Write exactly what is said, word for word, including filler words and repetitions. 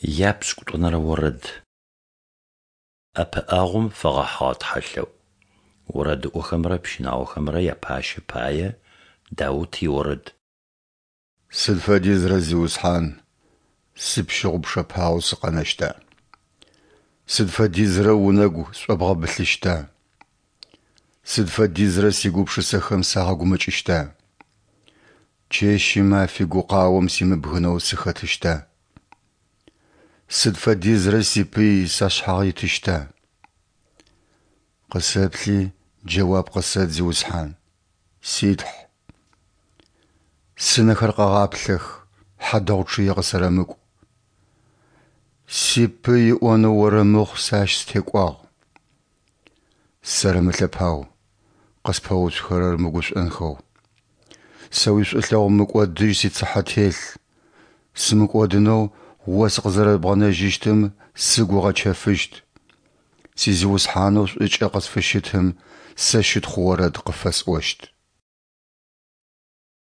Япшӏыкӏутӏонэрэ орэд. ӏэпыӏэгъум фэгъэхьыгъэ тхьэлъэӏу. Орэдыӏохэмрэ пщынаохэмрэ япащэ пае Даут иорэд. Сыд фэдизрэ, Зиусхьан, сыпщыгъупшэпагъэу сыкъэнэщта? Сыд фэдизрэ унэгу сшӏобгъэбылъыщта? Сыд фэдизрэ сигупшысэхэм сагъэгумэкӏыщта? Чэщи мафи гукъаом симыбгынэу сыхэтыщта? Сыд фэдизрэ сипый сашъхьагъ итыщта? Къысэплъи, джэуап къысэт, Зиусхьан, си Тхь. Сынэхэр къэгъаплъэх, хьадэгъу чъые къысэрэмыкӏу. Сипый ыӏонэу орэмыхъу сэ ащ сытекӏуагъ. Сэрэмылъэпау, къыспэуцухэрэр мыгушӏонхэу. Сэ уишӏулъэгъу мыкӏодыжь сицыхьэ телъ, сымыкӏодынэу О сыкъызэрэбгъэнэжьыщтым сыгу ыгъэчэфыщт. Си Зиусхьанэу шӏукӏэ къысфыщытым сэ щытхъу орэд къыфэсӏощт.